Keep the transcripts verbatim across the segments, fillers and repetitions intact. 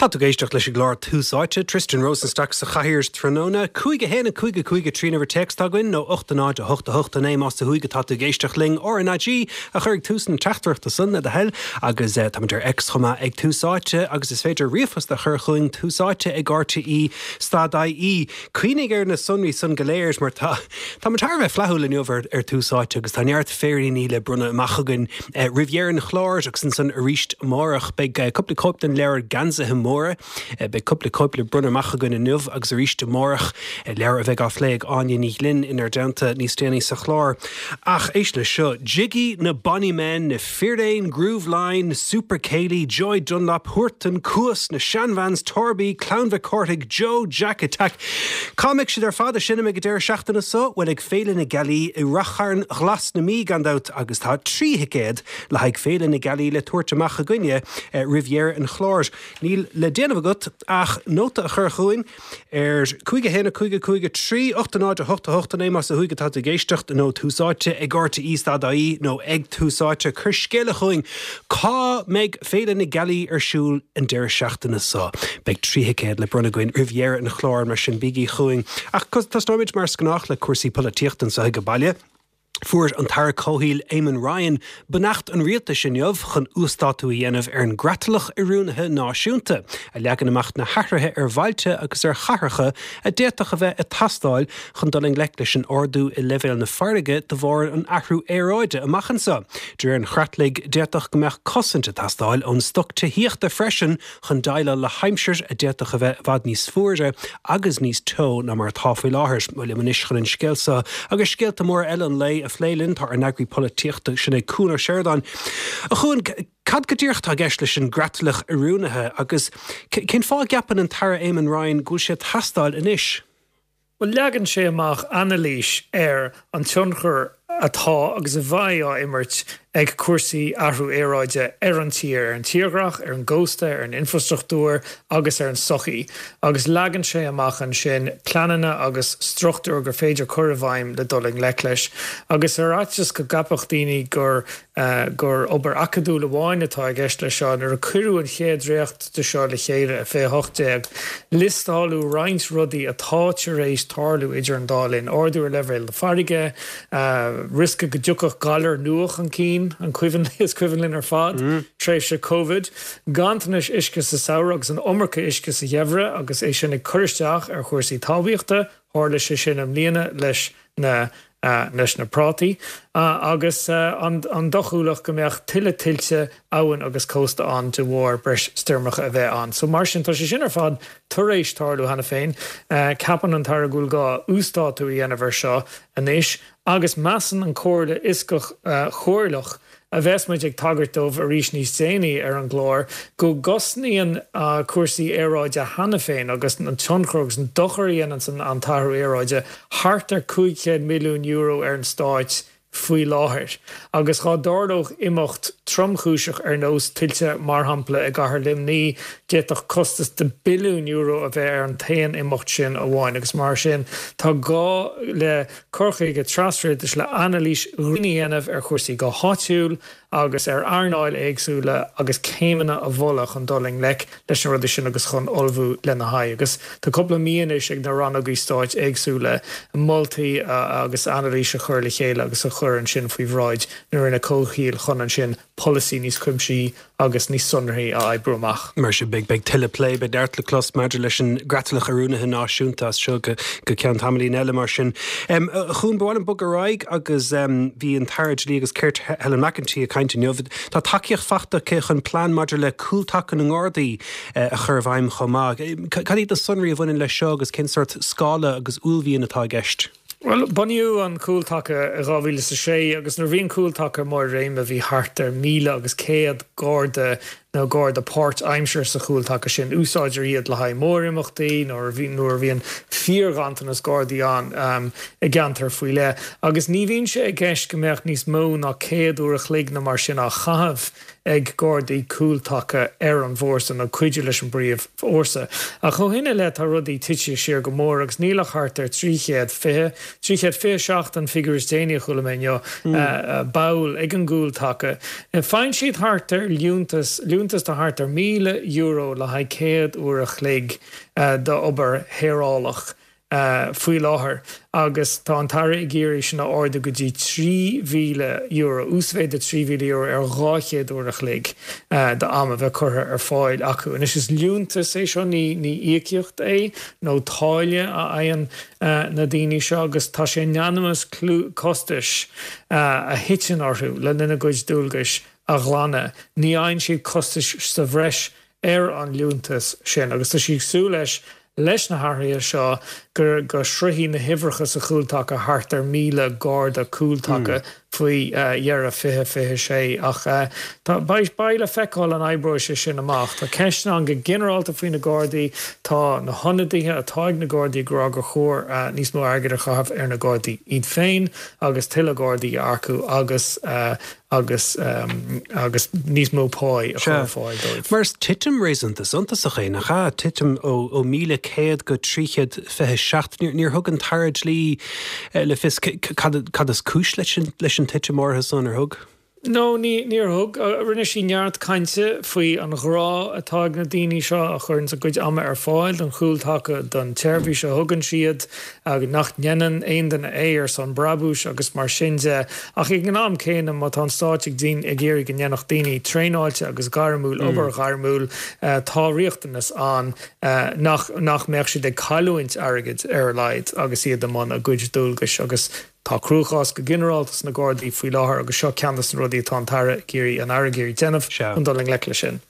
Tá tú ag éisteacht leis an gclár Tús Áite, Tristan Rosenstock sa chathaoir tráthnóna, cúig a haon a cúig a cúig a trí an uimhir téacs atá againn nó ocht a náid a hocht a hocht a naoi más ó thuaidh atá tú ag éisteacht linn R N A G a chur ag tús na teachtaireachta san le do thoil agus táimid ar X chomh maith ag Tús Áite agus is féidir ríomhphost a chur chugainn tús áite ag R T E stad I E. Cuimhnigh ar na sonraí san go léir mar tá Tá thar bheith flaithiúil inniu ar ar Tús Áite agus tá neart féiríní le bronnadh amach againn eh, roimh dheireadh an chláir agus ansan arís amárach beidh eh, cúpla cóip den leabhar Geansaithe Móra, eh, beidh cúpla cóip le bronnadh amach againn inniu agus arís amárach eh, leabhar a bheidh á phlé ag Áine Ní Ghlinn inár dteannta níos déanaí sa chlár. Ach éist le seo, Jiggy na Bonny Men, na Firéin, Grooveline, Super Céilí, Joy Dunlop, Huartan, Cuas, na Shan Vans, Torby, Clann Mhic Cárthaigh, Joe, Jack Attack. Cá mbeidh siad ar fad ag seinm ag an deireadh seachtaine seo bhuel ag Féile na Gealaí i Rath Chairn Ghlas na Mí gan dabht agus tá trí thicéad le haghaidh Féile na Gealaí le tabhairt amach againne eh, roimh dheireadh an chláir. Níl le déanamh agat ach nóta a chur chugainn ar cúig a haon cúig cúig trí ocht náid a hocht a hocht naoi más ó thuaidh atá ag éisteacht nó Tús Áite ag R T E stad I E nó ag Tús Áite cuir scéala chugainn cá mbeidh Féile na Gealaí ar siúl an deireadh seachtaine seo. Beidh trí thicéad le bronnadh againn roimh dheireadh an chláir mar sin bígí chugainn. Ach tosnóimid mar is gnách le cúrsaí polaitíochta anseo ag baile. Fuair an tAire Comhshaoil Eamon Ryan beannacht an rialtais inniu chun uasdátú a dhéanamh ar an gCreatlach Oiriúnaithe Náisiúnta, a leagann amach na hathruithe ar bhailte agus ar chathracha a d'fhéadfadh a bheith ag teastáil chun dul i ngleic leis an ardú i leibhéal na farraige de bharr an athrú aeráide amach anseo. De réir an chreatlaigh d'fhéadfadh go mbeadh cosaint ag teastáil ón stoc tithíochta freisin chun déileáil le haimsir a d'fhéadfadh a bheith i bhfad níos fuaire agus níos teo ná mar atá faoi láthair. Liom anois chun an scéal seo agus scéalta móra eile an lae a phlé linn tá ár n-eagraí polaitíochta sin é Cuan Ó Seireadáin. A Chuain cad go díreach atá i gceist leis an gCreatlach Oiriúnaithe agus cén fáth a gceapann an tAire Eamon Ryan go bhfuil sé ag teastáil anois. Well leagann sé amach anailís ar an tionchar atá agus a bheidh á imirt ag cúrsaí athrú aeráide ar an tír, ar an tírdhreach, ar an gcósta, ar an infrastruchtúr agus ar an sochaí. Agus leagann sé amach ansin pleananna agus struchtúr gur féidir cur i bhfeidhm le dul i ngleic leis. Agus ar fhaitíos go gceapfadh daoine gur uh, gur obair acadúil amháin atá i gceist le seo nuair a cuireadh an chéad dréacht de seo le chéile i fiche hocht déag, liostáladh roinnt rudaí atá tar éis tarlú idir an dá linn, ardú ar leibhéal na farraige, uh, riosca go dtiocfadh galar nua chun cinn an cuimhin is cuimhin linn ar fad mm. tréimhse COVID, ganntanas uisce sa samhradh agus an iomarca uisce sa gheimhreadh agus é sin ag cur isteach ar chúrsaí talmhaíochta, tharla sé sin i mbliana leis na uh, leis na prátaí uh, agus uh, an, an dóchúlacht go mbeadh tuilleadh tuilte abhann agus cósta ann de bharr breis stoirmeacha a bheith ann. So mar sin tá sé sin ar fad tar éis tarlú cheana féin, uh, ceapann an tAire go bhfuil gá uasdátú a dhéanamh air seo anois, agus measann an Chomhairle Fhioscach uh, Chomhairleach a bheas muid ag tagairt dóibh arís níos déanaí ar an gclár, go gcosnaíonn uh, cúrsaí aeráide cheana féin agus an tionchar agus an dochar a dhéanann an t-athrú aeráide thart ar cúig chéad milliún euro ar an stát faoi láthair. Agus dá dtarlódh imeacht tromchúiseach ar nós tuilte mar shampla i gcathair Luimnigh d'fhéadfadh costas de billiún euro a bheith ar an t-aon imeacht sin amháin agus mar sin tá gá le cur chuige trasrialtais le anailís a dhéanamh ar chúrsaí go háitiúil agus ar earnáil éagsúla agus céimeanna a mholadh chun dul i ngleic leis na rudaí sin agus chun ullmhú lena haghaidh. agus tá cúpla mí anois ag na rannóga stáit éagsúla moltaí agus anailís a chur le chéile agus a chur ansin faoi bhráid na Roinne Comhshaoil chun ansin polasaí níos cuimsithí agus níos sonraí a oibriú amach. Mar sin beidh beidh tuilleadh plé beidh neart le clos maidir leis an gCreatlach Oiriúnaithe Náisiúnta as seo go go ceann tamaillín eile mar sin. Um, chun bháil an bug agus um, bhí an tAire Dlí agus Cirt Helen McEntee ag caint inniu. Tá tacaíocht faighte aici chun plean maidir le cúltaca na nGardaí uh, a chur i bhfeidhm chomh maith. Cad iad na sonraí a bhaineann leis seo agus cén sórt scála agus uaillmhian atá i gceist. Well, bunaíodh an cúltaca i dhá mhíle a sé agus nuair a bhí an cúltaca mar réim a bhí thart ar míle agus céad garda nó garda páirtaimseartha sa chúltaca sin úsáidtear iad le haghaidh mórimeachtaí nuair a nuair a bhíonn fíorghanntanas gardaí ann um, i gceantar faoi leith. Agus ní bhíonn sé i gceist go mbeadh níos mó ná céad uair a chloig nó mar sin á chaitheamh ag Gardaí cúltaca ar an bhfórsa nó cuidiú leis an bpríomhfhórsa. Ach ó shin i leith tá rudaí tite siar go mór agus níl ach thart ar trí chéad fiche, trí chéad fiche seacht an figiúr is déanaí a chuala mé inniu, ball ag an gcúltaca. Faigheann siad thart ar liúntas, liúntas de thart ar míle euro le haghaidh céad uair a chloig d'obair shaorálach. faoi láthair agus tá an tAire ag iarraidh sin a ardú go dtí trí mhíle euro, uasmhéid de trí mhíle euro ar dhá chéad uair a chloig d'am a bheith curtha ar fáil acu. Anois is liúntas é seo, ní íocaíocht é nó táille a fhaigheann na daoine seo agus tá sé in ainm is costais a thiteann orthu le linn a gcuid dualgais a ghlanadh. Ní fhaigheann siad costais sa bhreis ar an liúntas sin agus tá sí ag súil leis leis na hathruithe seo go go sroichfidh na huimhreacha sa chúltaca thart ar míle garda cúltaca faoi dheireadh fiche fiche sé ach tá beidh beidh le feiceáil an oibreoidh sé sin amach. Tá ceisteanna ann go ginearálta faoi na Gardaí, tá na hionadaithe atá ag na Gardaí ag rá gur chóir níos mó airgid a chaitheamh ar na Gardaí iad féin agus tuilleadh Gardaí a earcú agus agus agus níos mó páí a chur ar fáil dóibh. Mar is titim réasúnta suntasach é, nach ea? Titim ó ó míle céad go trí chéad fiche seacht. Níor thug an tAire Dlí le fios cad cad is cúis leis an leis an titim áirithe san, ar thug? No, ní níor thug. Rinne sí neart cainte faoi an ghrá atá ag na daoine seo a chuireann a gcuid ama ar fáil don chúltaca, don tseirbhís a thugann siad, agus nach ndéanann aon duine é ar son brabúis agus mar sin de. Ach ag an am céanna, má tá an Stát ag ag iarraidh go ndéanfadh daoine traenáilte agus gairmiúil obair ghairmiúil, tá riachtanas ann nach nach mbeadh siad ag cailliúint airgid ar a laghad agus iad i mbun a gcuid dualgais agus Tá cruachás go ginearálta sna Gardaí faoi láthair agus seo ceann de na rudaí atá an tAire ag iarraidh an Aire ag iarraidh déanamh chun dul i ngleic leis sin.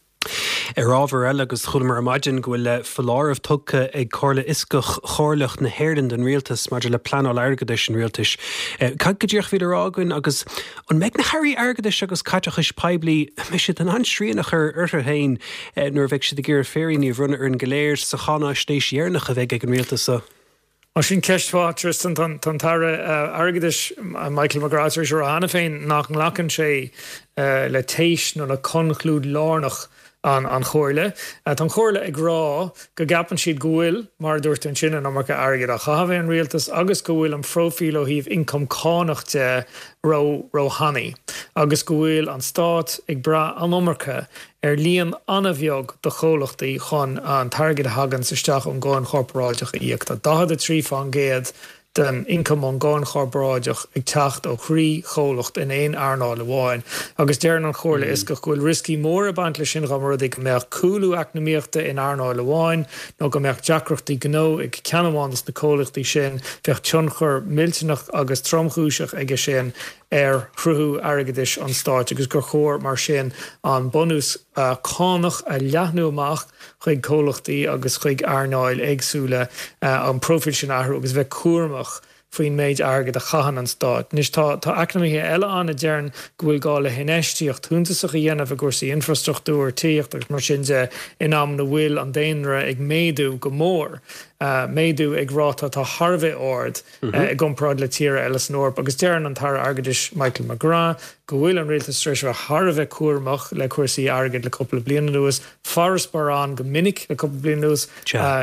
Ar ábhar eile, agus chualamar ar maidin go bhfuil foláireamh tugtha ag Comhairle Fhioscach Chomhairleach na hÉireann don Rialtas maidir le pleanáil airgeadais an Rialtais. Cad go díreach a bhí le rá againn agus an mbeidh na hairí airgeadais agus caiteachais poiblí, an mbeidh siad in ann srian a chur orthu féin nuair a bheidh siad ag iarraidh féiríní a bhronnadh orainn go léir sa cháinaisnéis dheireanach a bheidh ag an Rialtas seo? Ó sin ceist mhaith, Tristan. Tá an tAire Airgeadais Michael McGrath tar éis a rá cheana féin nach nglacann sé le téis nó le conclúid lárnach an Chomhairle. Tá an Chomhairle ag rá go gceapann siad go bhfuil, mar a dúirt tú ansin, an iomarca airgid á chaitheamh ag an rialtas agus go bhfuil an phróifíl ó thaobh ioncam cánach de ró-thanaí agus go bhfuil an stát ag brath an iomarca ar líon an-bheag de chomhlachtaí chun an t-airgead a thaganns isteach ón gcáin chorparáideach a íoc. Tá daichead a trí fán gcéad den ioncam ón gcáin chorparáideach ag teacht ó thrí chomhlacht in aon earnáil amháin agus deireann an Chomhairle Fhioscach go bhfuil rioscaí móra ag baint leis sin dá mba rud é go mbeadh cúlú eacnamaíochta in earnáil amháin nó go mbeadh deacrachtaí gnó ag ceann amháin de na comhlachtaí sin, bheadh tionchar millteanach agus tromchúiseach aige sin ar shruthú airgeadais an stáit agus gur chóir mar sin an bunús cánach a leathnú amach chuig comhlachtaí agus chuig earnáil éagsúla, an próifíl sin a athrú agus bheith cúramach faoin méid airgid a chaitheann an stát. Anois tá tá eacnamaithe eile ann a deireann go bhfuil gá le hinfheistíocht shuntasach a dhéanamh i gcúrsaí infrastruchtúir, tithíochta agus mar sin de in am ina bhfuil an daonra ag méadú go mór. méadú ag ráta atá thar a bheith ard i gcomparáid le tíortha eile san Eoraip agus deireann an tAire Airgeadais Michael McGrath go bhfuil an rialtas tar éis a bheith thar a bheith cúramach le cúrsaí airgid le cúpla bliain anuas, farasbarr ann go minic le cúpla bliain anuas,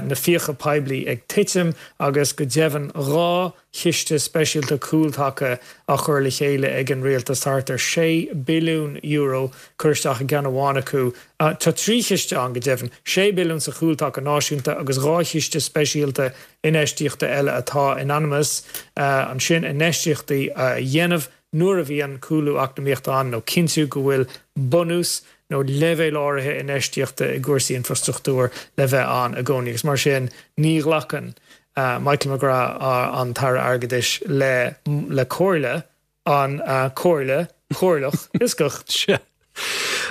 na fiacha poiblí ag titim agus go deimhin dhá chiste speisialta cúltaca á chur le chéile ag an rialtas, thart ar sé billiún euro curtha isteach i gceann amháin acu. Tá trí chiste ann go deimhin, sé billiún sa Chúltaca Náisiúnta agus dhá chiste speisialta infheistíochta eile atá in ainm is ansin infheistíochtaí a dhéanamh nuair a bhíonn cúlú eacnamaíochta ann nó cinntiú go bhfuil bunús nó leibhéal áirithe infheistíochta i gcúrsaí infrastruchtúir le bheith ann i gcónaí agus mar sin ní ghlacann Michael McGrath, an tAire Airgeadais, le le comhairle an Chomhairle Chomhairleach Fhioscach. Sea.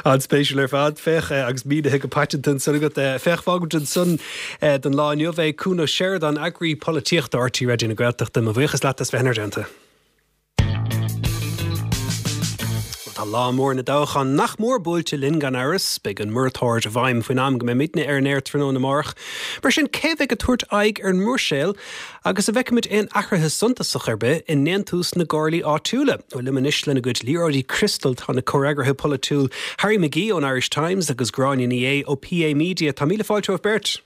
An-spéisiúil ar fad. Féach, agus mínithe go paiteanta ansan agat. Féach, fágfaimid ansan don lá inniu é. Cuan Ó Seireadáin, Eagraí Polaitíochta R T Raidió na Gaeltachta, mo bhuíochas leat as bheith inár dteannta. Tá lá mór na dtoghchán nach mór buailte linn gan amhras, beidh an moratóir i bhfeidhm faoin am go mbeimidne ar an aer tráthnóna amárach. Mar sin cé bheidh ag tabhairt aghaidh ar an mBruiséil agus an bhfeicfimid aon athruithe suntasach ar bith i ndéantús na gcomhairlí áitiúla. Ó liom anois lena gcuid liathróidí criostail tá na comhfhreagraithe polaitiúil Harry McGee ón Irish Times agus Gráinne Ní Aodha ó PA Media Tá míle fáilte romhaibh beirt.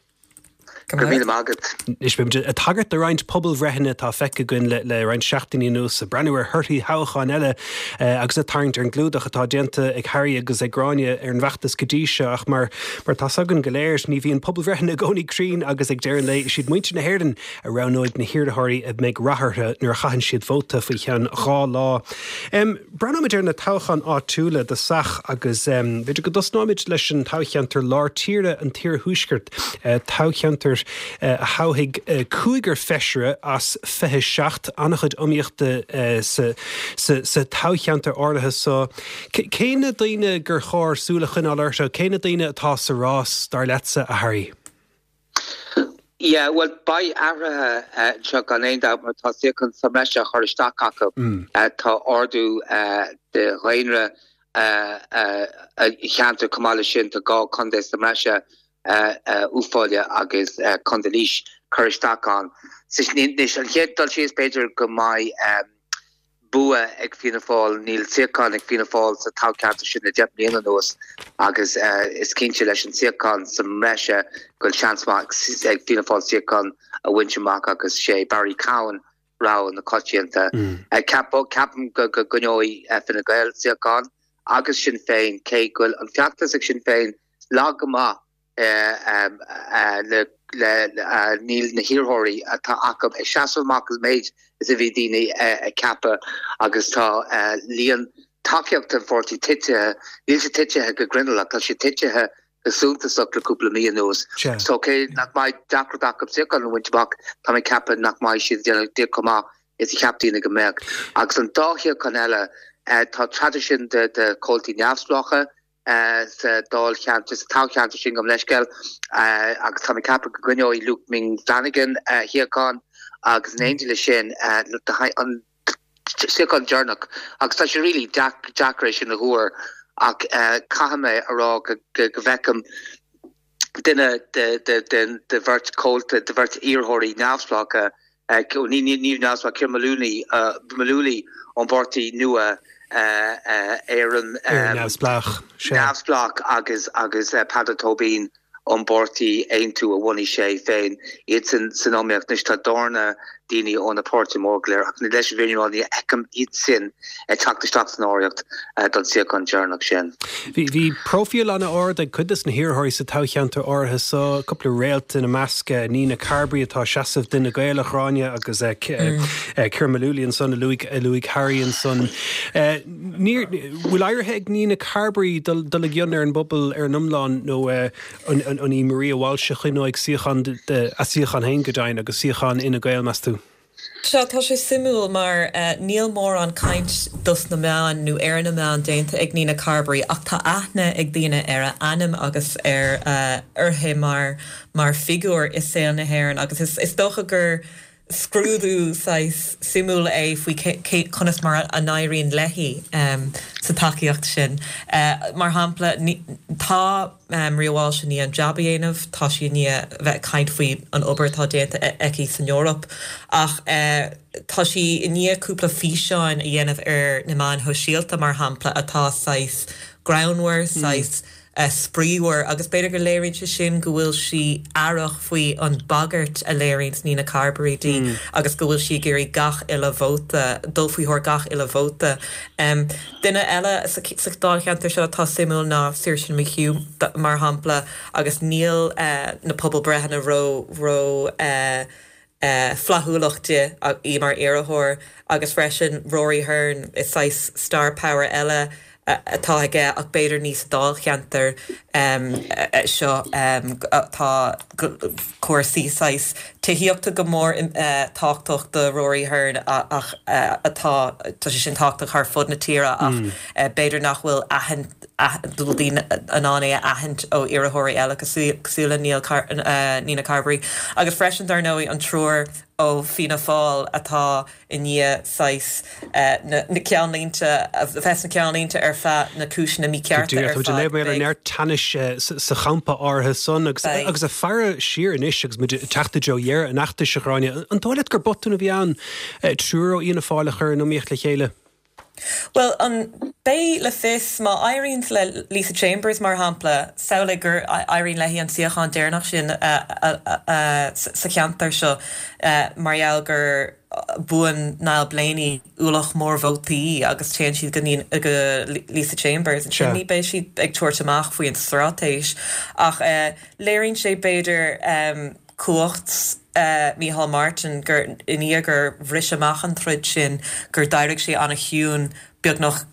Go míle agat. Is bím ag tagairt do roinnt pobalbhreitheanna atá feicthe againn le, le roinnt seachtainí anuas ag breathnú ar thorthaí toghcháin eile eh, agus ag tarraingt ar an gclúdach atá déanta ag Harry agus ag Gráinne ar an bhfeachtas go dtí seo ach mar mar tá againn go léir ní bhíonn pobalbhreitheanna i gcónaí cruinn agus ag deireadh an lae is iad muintir na hÉireann a roghnóidh na hiarrthóirí a mbeidh rath orthu nuair a chaitheann siad vóta faoi cheann dhá lá. Um, Breathnóimid ar na toghcháin áitiúla i dtosach agus um, b'fhéidir go dtosnóimid leis an toghcheantar lár tíre an t-iarthuaisceart uh, toghcheantar uh, a thoghfaidh uh, cúigear feisire as fiche seacht an-chuid iomaíochta uh, sa, sa, sa toghcheantar áirithe so cé na daoine gur chóir súil a choinneáil orthu cé na daoine atá sa rás dar leatsa a Harry. Yeah, well beidh athruithe seo gan aon dabht mar tá suíochán sa mbreis á chur isteach acu mm. uh, tá ardú uh, de dhaonra uh, uh, cheantar comála sin tá dhá chontae sa mbreis uh, uh, Uíbh Fhailí agus uh, Contae Laois chur isteach ann. Anois an chéad dul síos b'fhéidir go mbeidh um, bua ag Fianna Fáil níl suíochán ag Fianna Fáil sa toghcheantar sin le deich mbliana anuas agus uh, is cinnte leis an suíochán sa mbreis go bhfuil seans ag Fianna Fáil suíochán a bhaint amach agus sé Barry Cowen rogha na coitianta. Mm. Uh, Ceapaim go go gcoinneoidh uh, Fine Gael suíochán agus Sinn Féin cé go bhfuil an feachtas ag Sinn Féin lag go maith uh, um, uh, le le uh, níl na hiarrthóirí atá acu ag seasamh amach an méid is a bhí daoine ag ceapadh agus tá uh, líon tacaíocht an pháirtí tite níl sé tite go grinneall tá sé tite go suntasach le cúpla mí anuas. So cé nach mbeidh deacracht acu suíochán a bhaint amach tá mé ag ceapadh nach mbeidh siad déanamh chomh maith is a cheap daoine go mbeadh. Agus an dá shuíochán eile uh, tá traidisiún de de chomhaltaí neamhspleácha uh, sa dáilcheantar sa toghcheantar sin gom leisceil uh, agus tá mé ag ceapadh go gcoinneoidh Luke Ming Flanagan uh, suíochán agus in éindí le sin uh, an suíochán deireanach agus tá sé really deacair sin a thuar ach uh, caithfidh mé a rá go go bhfeicim duine de de de de bheirt chomhalta de bheirt iarrthóirí neamhspleácha ní ní ní neamhspleách Ciara Mullooly Mullooly ón bpáirtí nua Éireann neamhspleách neamhspleách agus agus Peadar Tóibín ón bpáirtí Aontú a bhunaigh sé féin iad sin san iomaíocht anois tá dornán daoine ó na páirtithe mór go léir ach leis an bhfírinne ní fheicim iad sin ag teacht isteach san áireamh don suíochán deireanach sin. Bhí bhí profíl an-ard ag cuid de na hiarrthóirí sa toghcheantar áirithe so cúpla réalt ina measc Nina Carberry atá ag seasamh d'Fhine Gael a Ghráinne agus Ciara Mullooly ansan a luaigh a luaigh Harry ansan. Bhfuil éirithe ag Nina Carberry dul i gcion ar an bpobal ar an iomlán nó an í Maria Walsh a choinneoidh suíochán a suíochán féin go deimhin agus suíochán Fhine Gael meas tú. Sea tá sé suimiúil mar uh, níl mórán caint dos na meáin nó ar na meáin déanta ag Nina Carberry ach tá aithne ag daoine ar a ainm agus ar uh, uirthi mar mar figiúr i saol na hÉireann agus is, is dócha gur scrúdú saghas suimiúil é faoi conas mar a n-éiríonn léi um, sa tacaíocht sin. Uh, mar shampla tá um, Maria Walsh i ndiaidh an jab a dhéanamh tá sí i ndiaidh bheith caint faoi an obair atá déanta e-, aici san Eoraip ach uh, tá sí i ndiaidh cúpla físeáin a dhéanamh ar na meáin shóisialta mar shampla atá saghas greannmhar mm. saghas uh, spraíúil agus b'fhéidir go léiríonn sé sin go bhfuil sí aireach faoi an bagairt a léiríonn Nina Carberry di mm. agus go bhfuil sí ag iarraidh gach uile vóta dul faoi thóir gach uile vóta. Um, Duine eile sa dáilcheantar seo tá suimiúil ná Saoirse McHugh mar shampla agus níl uh, na pobalbhreitheanna ró ró uh, uh, flaithiúlach di í mar iarrthóir agus freisin Rory Hearne is saghas star power eile atá aige ach b'fhéidir ní sa dáilcheantar um, seo um, tá cúrsaí saghas tithíochta go mór uh, tábhachtach do Rory Hearne ach uh, atá tá sé sin tábhachtach ar fud na tíre ach mm. uh, b'fhéidir nach bhfuil bhfuil daoine in ann é a aithint ó iarrthóirí eile cosúil le Neil Car uh, Nina Carberry agus freisin dar ndóigh an triúr ó Fianna Fáil atá i ndiaidh saghas uh, na, na ceannlínte a bheith sna ceannlínte ar feadh na cúiseanna míchearta ar fad. Mé ar neart teannais eh, sa champa áirithe san agus agus ag faire siar anois agus muid teacht i dtreo dheireadh an fheachtais a Ghráinne. An dóigh leat gur botún a bhí ann eh, triúr ó Fhianna Fáil a chur in iomaíocht le chéile? Well an beidh le fios má éiríonn le Lisa Chambers mar shampla samhlaigh gur éiríonn léi an suíochán deireanach sin sa cheantar seo mar gheall gur buann Niall Blaney ualach mór vótaí agus téann siad go go Lisa Chambers sin ní beidh siad ag tabhairt amach faoin straitéis ach léiríonn sé b'fhéidir um, cumhacht uh, Micheál Martin gur i ndiaidh gur bhris amach an troid sin gur d'éirigh sé an-chiúin beagnach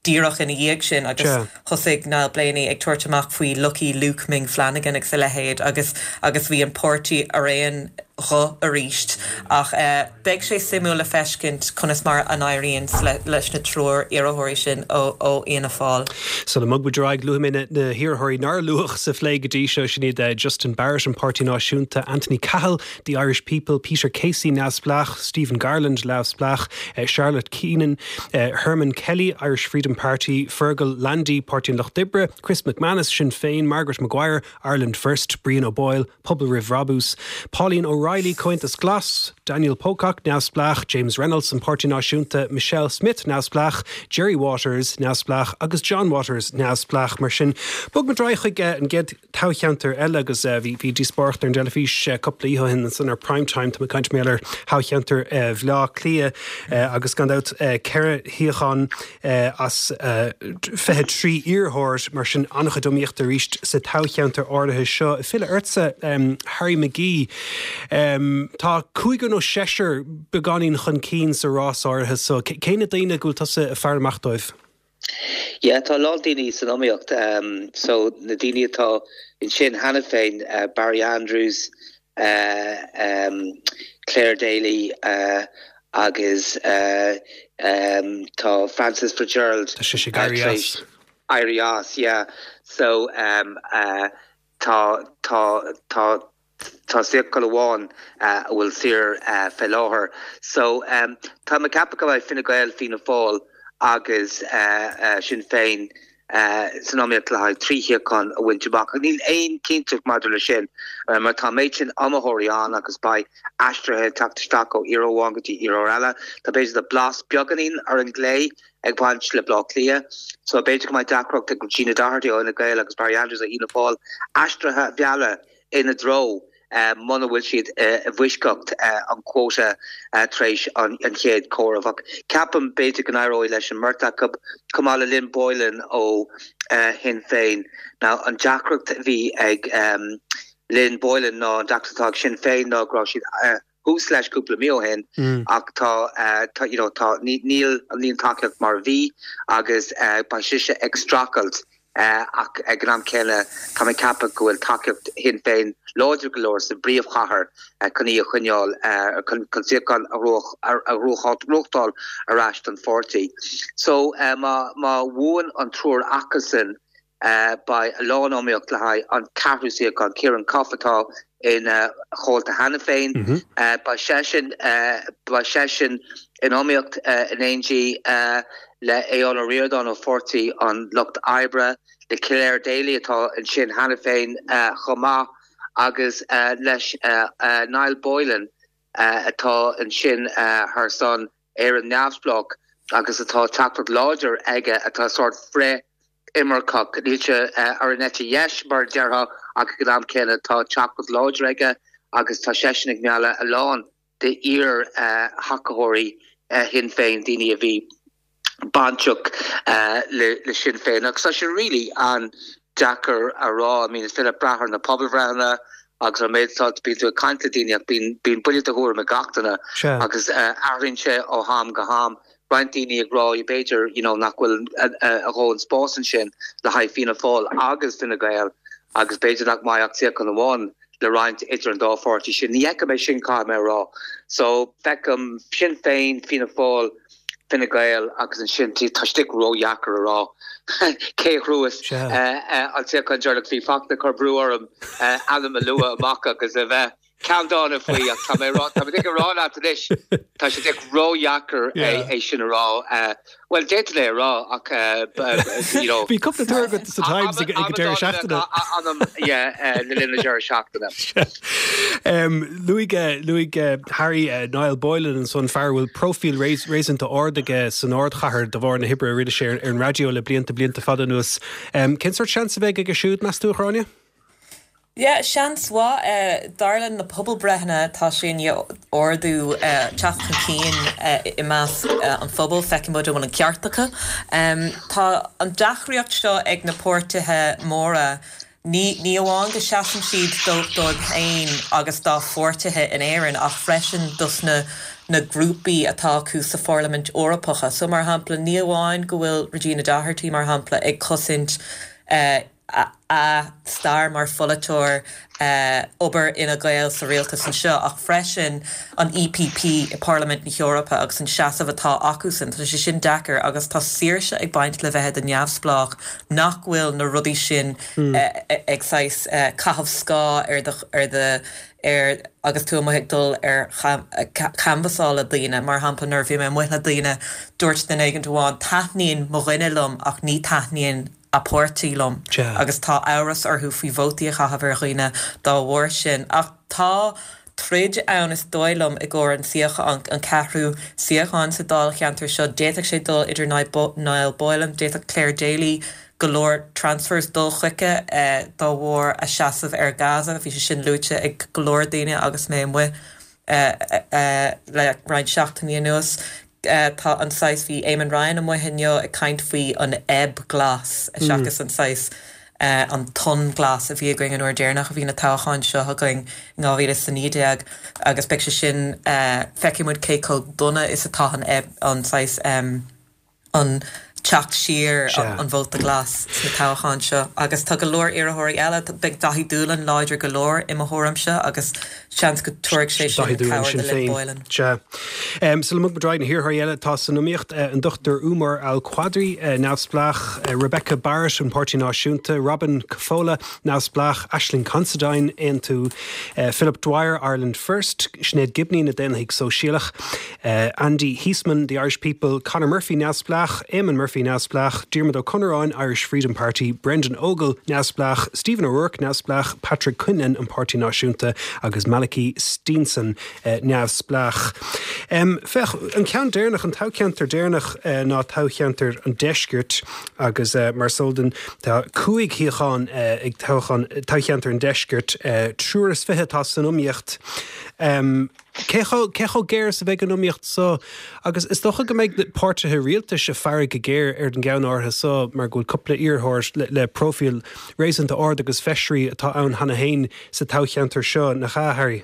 díreach ina dhiaidh sin agus thosaigh Niall Blaney ag tabhairt amach faoi Lucky Luke Ming Flanagan agus a leithéid agus agus bhí an páirtí ar aon ghuth arís ach uh, beidh sé suimiúil le feiscint conas mar a éiríonn le, leis na triúr iarrthóirí sin ó ó Fhianna Fáil. So le mugbaid luaigh mé na hiarrthóirí nár luadh sa phlé go dtí seo sin iad uh, Justin Barrett an Páirtí Náisiúnta Anthony Cahill, the Irish People, Peter Casey Neamhspleách, Stephen Garland Neamhspleách, uh, Charlotte Keenan, uh, Herman Kelly, Irish Freedom Party, Fergal Landy, Páirtí an Lucht Oibre, Chris McManus, Sinn Féin, Margaret Maguire, Ireland First, Brian O'Boyle, Pobal Roimh Bhrabús, Pauline O'Reilly, Comhaontas Glas, Daniel Pocock, Neamhspleách, James Reynolds an Páirtí Náisiúnta, Michelle Smith Neamhspleách, Jerry Waters Neamhspleách agus John Waters Neamhspleách mar sin. Bogfaimid ar aghaidh chuig an gcéad toghcheantar eile agus bhí bhí díospóireacht ar an teilifís cúpla oíche ó shin san ar prime time tá caint mé ar thoghcheantar Bhaile Átha Cliath agus gan dabht ceithre shuíochán as fiche trí iarrthóir mar sin an-chuid iomaíochta arís sa toghcheantar áirithe seo. Filleadh ortsa um, Harry McGee. Um, tá cúigear nó seisear beagáinín chun cinn sa rás áirithe so cé na daoine go bhfuil tusa ag faire amach dóibh. Yeah, tá lán daoine san iomaíocht um, so na daoine atá ansin cheana féin uh, Barry Andrews, uh, um, Clare Daly uh, agus uh, um, tá Francis Fitzgerald Tá sé éirí as. Éirí as, yeah. So um, uh, tá tá tá tá suíochán amháin uh, a bhfuil saor uh, fé láthair. So um, tá mé ag ceapadh go mbeidh Fine Gael Fianna Fáil agus uh, uh, Sinn Féin uh, san iomaíocht le haghaidh trí shuíochán a bhaint amach. Níl aon chinnteacht maidir le sin uh, mar tá méid sin iomaitheoirí ann agus beidh aistrithe teacht isteach ó iarrthóir amháin go dtí iarrthóir eile. Tá b'fhéidir de blas beagáinín ar an gclé ag baint le Baile Átha Cliath. So b'fhéidir go mbeidh deacracht ag Gina Doherty ó Fhine Gael agus Barry Andrews a Fhianna Fáil aistrithe a mhealladh ina dtreo. Uh, muna bhfuil siad uh, i bhfoisceacht uh, an quota uh, tar éis an, an chéad chomhaireamh. Ceapaim b'fhéidir go n-éireoidh leis an mbeirt acu chomh maith le Lynn Boylan ó uh, Shinn Féin. Now an deacracht bhí ag um, Lynn Boylan ná an deacracht ag Sinn Féin ná go raibh siad uh, thuas leis cúpla mí ó shin mm. ach tá uh, tá you know, tá níl an líon tacaíocht mar bhí agus uh, beidh sise ag streachailt Uh, ach ag an am céanna tá mé ag ceapadh go bhfuil tacaíocht Shinn Féin láidir go leor sa bpríomhchathair uh, chun í a choinneáil uh, chun suíochán a ghnóthachtáil ar ais don pháirtí. So uh, má má bhuann an triúr acusan uh, beidh a lán iomaíocht le haghaidh an ceathrú suíochán Ciarán Cuffe atá ina chomhalta cheana féin mm -hmm. uh, beidh seisean uh, beidh seisean in iomaíocht uh, in éindí uh, le Aodhán Ó Ríordáin ó Pháirtí an Lucht Oibre le Clare Daly atá ansin cheana féin uh, chomh maith agus uh, leis uh, uh, Niall Boylan uh, atá ansin uh, thar son Éire Neamhspleách agus atá tacaíocht láidir aige atá sort frith-imirceach níl sé uh, ar an eite dheis mar déarfá ach ag an am céanna tá tacaíocht láidir aige agus tá seisean ag mealladh a lán de iar uh, thacóirí uh, Shinn Féin daoine a bhí bainteach uh, le, le Sinn Féin. Agus tá sé really an-deacair a rá, I mean, is féidir brath ar na pobalbhreitheanna agus an méid bíonn tú ag caint le daoine bíonn bíonn buille de thuairim ag gach duine agus uh, athraíonn sé ó ham go ham. Roinnt daoine ag rá b'fhéidir you know, nach bhfuil a dhóthain spás ansin le haghaidh Fianna Fáil agus Fine Gael agus b'fhéidir nach mbeidh ach suíochán amháin le roinnt idir an dá pháirtí sin. Ní fheicim é sin cá mé rá. So feicim Sinn Féin Fianna Fáil Fine Gael agus ansin tá sé ródheacair a rá cé a ghnóthós an suíochán deireanach bhí Fachtna ag cur brú orm ainm a lua amach agus a bheith ceanndána faoi ach tá mé tá mé ag rá leat anois tá sé ródheacair é sin a rá Well d'fhéadfainn é a rá ach you know Bhí cúpla tuar agat sa Times ag an deireadh seachtaine le linn na deireadh seachtaine. Luaigh luaigh Harry Niall Boylan ansan fear a bhfuil próifíl réasúnta ard aige san ardchathair de bharr na hoibre a rinne sé ar an raidió le blianta blianta fada anuas. Cén sórt seans a bheidh aige siúd meas tú a Ghráinne? Yeah, seans mhaith eh, dar le na pobalbreitheanna tá sé ag ardú eh, teacht chun cinn eh, i measc eh, an phobail feicfidh muid an bhfuil an ceart acu. Um, tá an deacracht seo ag na páirtithe móra Ní ní amháin go seasann siad dóibh féin agus dá pháirtithe in Éirinn ach freisin dos na na grúpaí atá acu sa Pharlaimint Eorpach. So mar shampla ní amháin go bhfuil Regina Doherty mar shampla ag cosaint uh, a, a stair mar pholaiteoir uh, obair Fhine Gael sa rialtas anseo ach freisin an EPP i Parlaimint na hEorpa agus an seasamh atá acusan Tá sé sin deacair agus tá saoirse ag baint le bheith neamhspleách nach bhfuil na rudaí sin mm. uh, ag saghas uh, caitheamh scáth ar do, ar do ar agus tú amuigh ag dul ar canbhasáil le daoine mar shampla nuair bhí mé amuigh le daoine dúirt duine éigin amháin taitníonn mo dhuine liom ach ní taitníonn a páirtí liom agus tá amhras orthu faoi vótaí a chaitheamh ar dhaoine dá bharr sin ach tá troid ann is dóigh liom i gcomhair an suíochán an ceathrú suíochán sa dáilcheantar seo d'fhéadfadh sé dul idir Niall Boylan d'fhéadfadh Clare Daly go leor transfers dul chuige eh, dá bharr a seasamh ar Gaza bhí sé sin luaite ag go leor daoine agus mé amuigh eh, eh, le roinnt seachtainí anuas. Tá an saghas bhí Eamon Ryan amuigh inniu ag caint faoi an ebb glas mm. seachas an saghas uh, an tonn glas a bhí againn an uair deireanach a bhí na toghcháin seo againn in dhá mhíle is a naoi déag agus beidh sé sin uh, feicfidh muid cé chomh dona is atá an ebb an saghas um, an teacht siar an vóta glas sna toghcháin seo agus tá go leor iarrthóirí eile beidh Daithí Doolan láidir go leor i mo thuairimse agus seans go dtabharfaidh sé sin cabhair do Lynn Boylan. Um, Sula mbogfaidh muid na hiarrthóirí eile atá san iomaíocht uh, an Dr Umar Al-Qadri uh, neamhspleách uh, Rebecca Barrett an Páirtí Náisiúnta, Robin Cafola neamhspleách Ashling Considine Aontú uh, Philip Dwyer Ireland First, Sinéad Gibney na Daonlathaigh Sóisialach, uh, Andy Heisman the Irish People, Conor Murphy neamhspleách, Eamon Murphy neamhspleách, Diarmuid Ó Conneráin Irish Freedom Party, Brendan Ogle neamhspleách, Stephen O'Rourke neamhspleách, Patrick Quinlan an Páirtí Náisiúnta agus Malachy Steenson uh, neamhspleách. Um, Féach an ceann deireanach an toghcheantar deireanach uh, ná toghcheantar an deiscirt agus uh, mar soldan tá cúig shuíochán uh, ag toghcheantar an deiscirt uh, triúr is fiche atá san iomaíocht. Um, Cé chomh géar is a bheidh an iomaíocht so agus is dócha go mbeidh páirtithe rialtais ag faire go géar ar an gceann áirithe so mar go bhfuil cúpla iarrthóir le, le profil réasúnta ard agus feisirí atá ann cheana féin sa toghcheantar seo nach ea Harry.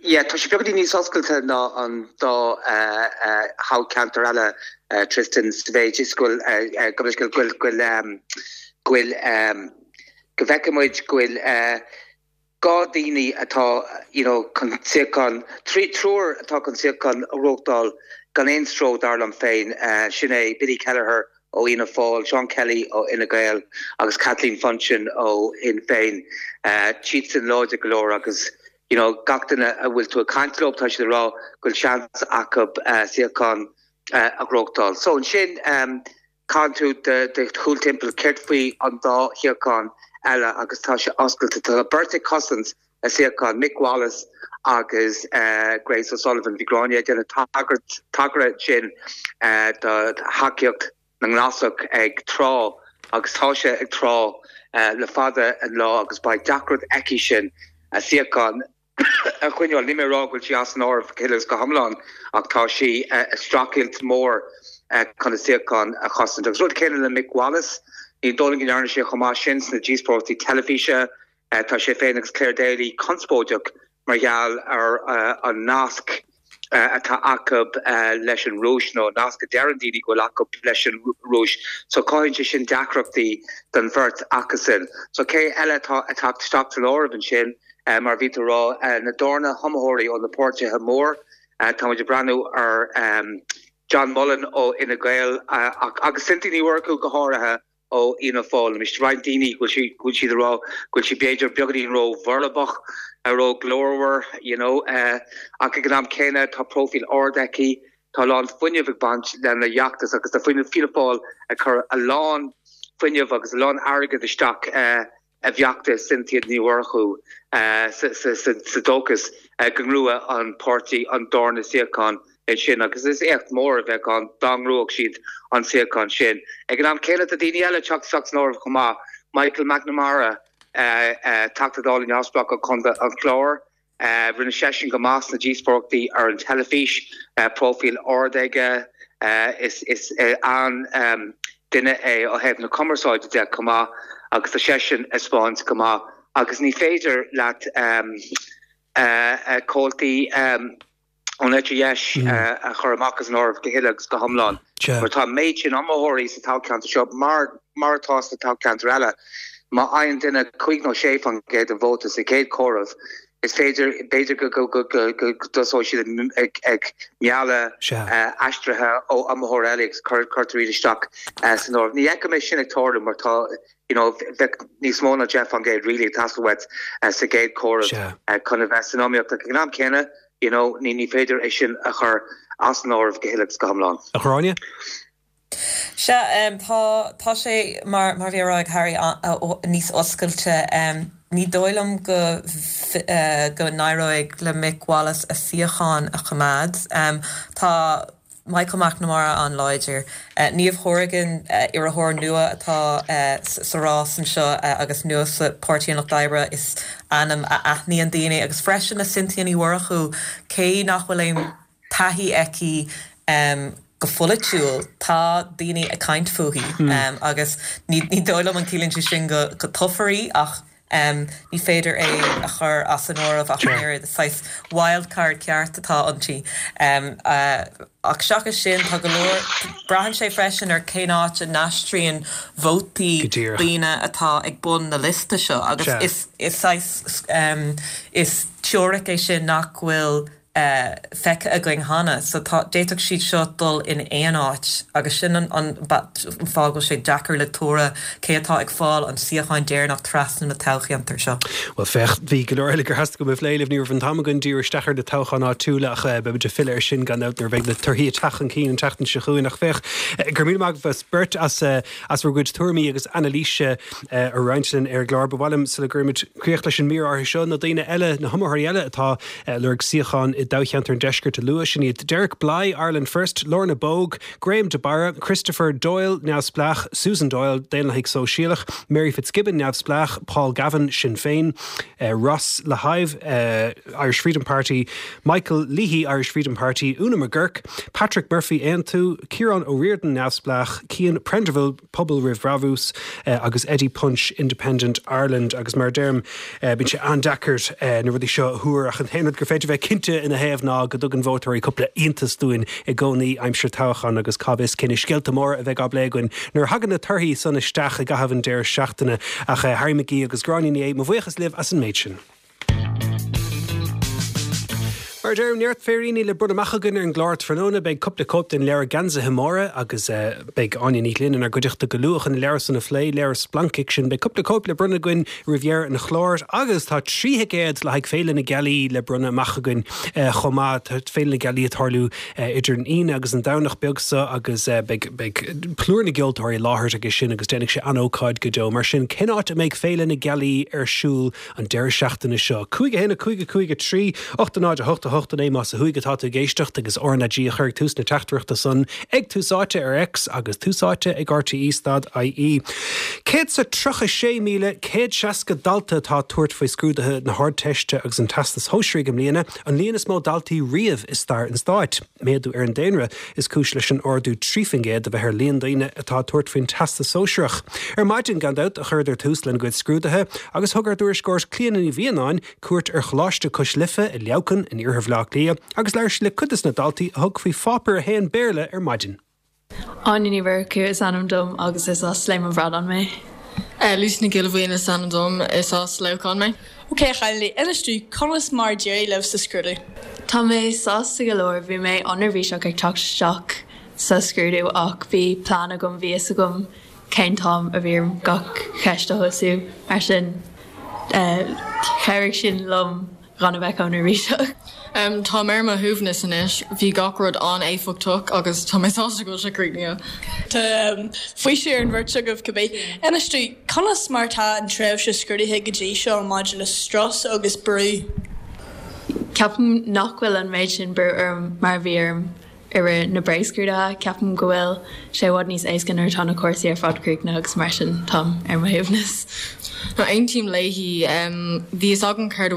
Yeah, tá sé beagáinín níos oscailte ná an dá uh, uh, thoghcheantar eile uh, Tristan sa mhéid is go bhfuil go bhfuil go bhfuil go bhfeicfidh muid go bhfuil dhá daoine atá you know, chun suíochán trí triúr atá chun suíochán a ghnóthachtáil gan aon stró dar liom féin uh, sin é Billy Kelleher ó Fhianna Fáil, Sean Kelly ó Fhine Gael agus Kathleen Funchion ó Shinn Féin. Uh, Siadsan láidir go leor agus you know, gach duine a bhfuil tú ag caint leo tá siad ag rá go bhfuil seans acu uh, suíochán uh, a ghnóthachtáil. So ansin um, caithfidh tú de, de chúl timpeall céard faoi an dá shuíochán eile agus tá sé oscailte tá beirt ag cosaint a suíochán Mick Wallace agus uh, Grace O'Sullivan bhí Gráinne ag déanamh tagairt tagairt sin uh, do thacaíocht na nGlasach ag trá agus tá sé ag trá uh, le fada an lá agus beidh deacracht aici sin a suíochán a choinneáil ní mé rá go bhfuil sí as an áireamh go huile is go hiomlán ach tá sí uh, streachailt mór uh, chun a suíochán a chosaint. Agus rud céanna le Mick Wallace, ní dóigh liom go ndearna sé chomh maith sin sna díospóireachtaí teilifíse uh, tá sé féin agus Clare Daly conspóideach mar gheall ar uh, an nasc uh, atá acu uh, leis an Rúis nó nasc a deireann daoine go bhfuil acu leis an Rúis. So cothaíonn sé sin deacrachtaí don bheirt acusan. So cé eile atá ag teacht isteach san áireamh ansin uh, mar bhí tú ag rá uh, na darna hiomaitheoirí ó na páirtithe mór uh, tá muid ag breathnú ar um, John Mullen ó Fhine Gael agus Cynthia Ní Mhurchú go háirithe ó Fhianna Fáil. Anois roinnt daoine go bhfuil go bhfuil siad ag rá go bhfuil sí b'fhéidir beagáinín ró-bhorb, ró-ghlórmhar, you know, ach ag an am céanna tá próifíl ard aici, tá a lán fuinnimh ag baint lena fheachtas agus tá Fianna Fáil ag cur a lán fuinnimh agus a lán airgead isteach i bhfeachtas Cynthia Ní Mhurchú sa dóchas go ngnóthóidh an páirtí an darna suíochán ansin agus is éacht mór a bheadh ann dá ngnóthódh siad an suíochán sin. Ag an am céanna tá daoine eile ag teacht isteach san áireamh chomh maith, Michael McNamara, Teachta Dála neamhspleách ó Chontae an Chláir, rinne seisean go maith sna díospóireachtaí ar an teilifís, próifíl ard aige, is an-duine é ó thaobh na cumarsáide de chomh maith agus tá seisean ag spáint go maith agus ní féidir leat comhaltaí ón eite dheis a chur amach as an áireamh go huile agus go hiomlán. Mar tá an méid sin iomaitheoirí sa toghcheantar seo, mar mar atá sna toghcheantair eile. Má fhaigheann duine cúig nó sé faoin gcéad den vóta sa chéad chomhaireamh, is féidir, b'fhéidir go dtosóidh siad ag mealladh aistrithe ó iomaitheoirí eile agus cuirtear iad isteach san áireamh. Ní fheicim é sin ag tarlú mar tá, you know, bheadh níos mó ná deich faoin gcéad really ag teastáil uait sa gcéad chomhaireamh chun a bheith san iomaíocht ach ag an am céanna, you know, ní ní féidir é sin a chur as an áireamh go huile agus go hiomlán. A Ghráinne? Sea, tá, tá sé, mar, mar bhí á rá ag Harry, níos oscailte. Ní dóigh liom go, go n-éireoidh le Mick Wallace a suíochán a choimeád. Tá Michael McNamara an-láidir. Niamh Hourigan, iarrthóir nua atá sa rás anseo agus nua sa Páirtí an Lucht Oibre, is ainm a aithníonn daoine. Agus freisin Cynthia Ní Mhurchú, cé nach bhfuil aon taithí aici go polaitiúil, tá daoine ag caint fúithi agus ní dóigh liom an ciallaíonn sé sin go toghfar í ach ní féidir é a chur as an áireamh ach an oiread. Is saghas wildcard ceart atá inti. Ach seachas sin, tá go leor, braitheann sé freisin ar cén áit a n-aistríonn vótaí daoine atá ag bun na liosta seo agus is is saghas is teoiric é sin nach bhfuil feicthe againn cheana. So tá, d'fhéadfadh siad seo dul in aon áit agus sin an an fáth go bhfuil sé deacair le tuaradh cé atá ag fáil an suíocháin deireanach trasna na toghcheantair seo. Bhuel féach, bhí go leor eile gur theastaigh uaim a phlé libh, ní raibh an t-am againn díriú isteach ar na toghcháin áitiúla ach beimid ag filleadh air sin gan dabht nuair a bheidh na torthaí ag teacht chun cinn an tseachtain seo chugainn. Ach féach, go raibh míle maith agaibh as beirt as as bhur gcuid tuairimí agus anailíse a roinnt linn ar an gclár. Ba mhaith liom sula gcuirimid críoch leis an mír áirithe seo, na daoine eile, na hiomaitheoirí eile atá ag lorg suíochán i dtoghcheantar an Deiscirt a lua, sin iad Derek Blighe, Ireland First, Lorna Bogue, Graham de Barra, Christopher Doyle, Neamhspleách, Susan Doyle, Daonlathaigh Sóisialach, Mary Fitzgibbon, Neamhspleách, Paul Gavin, Sinn Féin, uh, Ross Le Hyve, uh, Irish Freedom Party, Michael Leahy, Irish Freedom Party, Una McGurk, Patrick Murphy, Aontú, Ciarán O'Riordan, Neamhspleách, Cian Prendiville, Pobal Roimh Bhrabús, uh, agus Eddie Punch, Independent Ireland agus mar a deirim uh, bíonn sé an-deacair uh, na rudaí seo a thuar ach an t-aon rud gur féidir bheith cinnte ina thaobh ná go dtugann vótóirí cúpla iontas dúinn i gcónaí aimsir toghcháin agus cá bhfios cé na scéalta móra a bheidh á bplé againn nuair a thagann na torthaí san isteach i gcaitheamh an deireadh seachtaine ach eh, Harry McGee agus Gráinne Ní Aodha, mo bhuíochas libh as an méid sin. Mar a deirim, neart féiríní le bronnadh amach againn ar an gclár tráthnóna, beidh cúpla cóip den leabhar Geansaithe Móra agus eh, beidh Áine Ní Ghlinn inár gcuideachta go luath chun an leabhar san a phlé, leabhar splancfhicsin. Beidh cúpla cóip le bronnadh againn roimh dheireadh an chláir agus tá trí thicéad le haghaidh Féile na Gealaí le bronnadh amach againn eh, chomh maith. Tá Féile na Gealaí ag tarlú eh, idir an Aoine agus an Domhnach beag seo agus beidh beidh plúr na gceoltóirí i láthair aige sin agus déanfaidh sé an-ócáid go deo. Mar sin cén áit a mbeidh Féile na Gealaí ar siúl an deireadh seachtaine seo. Cúig a haon a cúig a cúig a trí, ocht a náid a hocht a hocht a naoi más ó thuaidh atá tú ag éisteacht agus RnaG a chur ag tús na teachtaireachta san ag Tús Áite ar X agus Tús Áite ag RTE stad IE. Céad is tríocha sé míle céad seasca dalta atá ag tabhairt faoi scrúduithe na hArdteiste agus an Teastais Shóisearaigh i mbliana, an líon is mó daltaí riamh i stair an stáit. Méadú ar an daonra is cúis leis an ardú trí faoin gcéad a bheith ar líon daoine atá ag tabhairt faoin Teastas Sóisearach. Ar maidin gan dabht a chuireadar tús lena gcuid scrúduithe agus thug ár dtuairisceoir Clíona Ní Mhianáin cuairt ar Choláiste Cois Life i Leamhcán in iarthar Bhaile Átha Cliath agus labhair sí le cuid de na daltaí a thug faoi pháipéar a haon Béarla ar maidin. Áine Ní Mhurchú is ainm dom agus is as Sléim an Bhradáin mé. Lucy Nic Giolla Bhuíon is ainm dom is as Leamhcán mé. Ok chailíní, inis dúinn conas mar a d'éirigh libh sa scrúdú. Tá mé sásta go leor bhí mé an-neirbhíseach ag teacht isteach sa scrúdú ach bhí plean agam bhí fhios agam cén t-am a bhí orm gach ceist a thosú mar sin chabhraigh sin liom gan a bheith chomh neirbhíseach. Um, tá mé ar mo shuaimhneas anois, bhí gach rud an-éifeachtach agus tá mé sásta go bhfuil sé críochnaithe. Tá faoiseamh ar an bheirt agaibh cibé. Inis dúinn, conas mar tá an tréimhse scrúdaithe go dtí seo maidir le strus agus brú? Ceapaim nach bhfuil an méid sin brú orm mar a bhí orm i rith na bréagscrúduithe, ceapaim go bhfuil sé i bhfad níos éasca nuair atá na cúrsaí ar fad críochnaithe agus mar sin táim ar mo shuaimhneas. No aontaím léi bhí fhios agam céard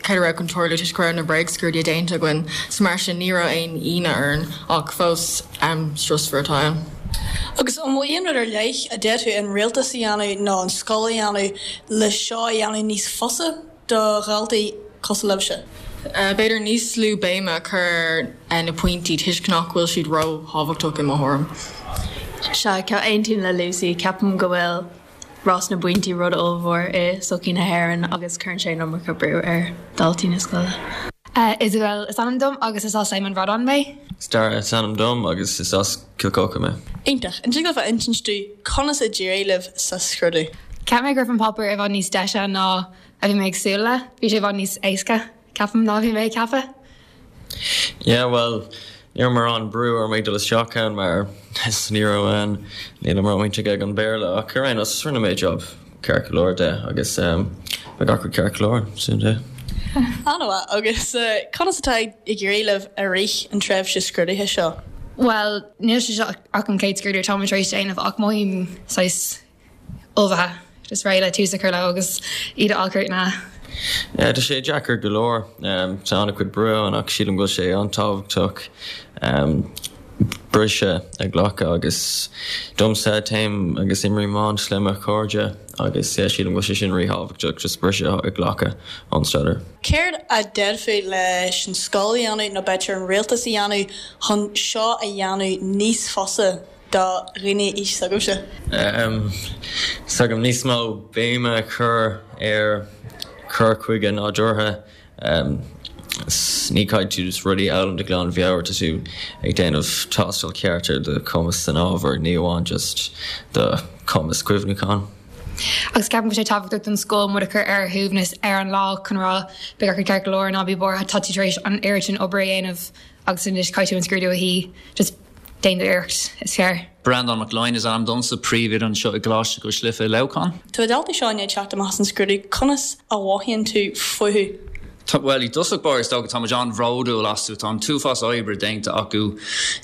céard a raibh chun tarlú toisc go raibh na bréagscrúduithe déanta againn, so mar sin ní raibh aon ionadh orainn ach fós am strusmhar atá ann. Agus an bhfuil aon rud ar leith a d'fhéadfadh an rialtas a dhéanamh nó an scoil a dhéanamh le seo a dhéanamh níos fusa do dhaltaí cosúil libhse? B'fhéidir níos lú béime a chur ar na pointí toisc nach bhfuil siad ró-thábhachtach i mo thuairim. Sea, aontaím le Lucy, ceapaim go bhfuil rás na bpointí rud ollmhór i sochaí na hÉireann agus cuireann sé an iomarca brú ar dhaltaí na scoile. Isabel is ainm dom agus is as an Bhradán mé. Dara is ainm dom agus is as Cill Choca mé. Iontach, an dtig libh a insint dúinn conas a d'éirigh libh sa scrúdú? Cheap mé go raibh an páipéar i bhfad níos deise ná a bhí mé ag súil le, bhí sé i bhfad níos éasca ceapaim ná bhí mé ag ceapadh. Yeah, well, ní raibh mórán brú orm ag dul isteach ann mar ní raibh an níl mórán ag an Béarla ach ar aon nós rinne mé job ceart go leor de agus um, bhí gach rud ceart go leor sin de. An-mhaith agus uh, conas atá ag éirí libh i rith an tréimhse scrúdaithe seo? Well, níl sé seo ach an chéad scrúdú tá tar éis déanamh ach mothaím saghas ullmhaithe, just réidh le tús a chur le agus iad a fháil Yeah, tá sé deacair go leor um, tá an-chuid brú ann ach sílim go bhfuil sé an-tábhachtach um, briseadh a ghlacadh agus domsa téim agus imrím iomáint le mo chairde agus yeah, sílim go bhfuil sé sin ríthábhachtach just briseadh a ghlacadh ón staidéar. Céard a d'fhéadfaí leis an scoil a dhéanamh nó b'fhéidir an rialtas a dhéanamh chun seo a dhéanamh níos fusa do dhaoine aois s'agaibhse? Um, S'agam níos mó béime a chur ar chur chuige nádúrtha um, ní caithfidh tú just rudaí a fhoghlaim de ghlanmheabhair tá tú ag déanamh tástáil ceart ar do chumas san ábhar ní amháin just do chumas cuimhneacháin. Agus ceapaim go sé tábhachtach don scoil muid a chur ar shuaimhneas ar an lá chun rá beidh gach ceart go leor ná bí buartha tá tú tar éis an oiread sin obair a dhéanamh agus anois caithfidh tú an scrúdú a shuí just déan d'iarracht is fearr. Breandán Mac Line is ainm domsa príomhoide anseo i gColáiste Cois Life i Leamhcán. Tá na daltaí seo ag teacht amach as an scrúdú conas a mhothaíonn tú fúthu. Well i dtosach báire is dócha táimid an-bhródúil astu tá an t-uafás oibre déanta acu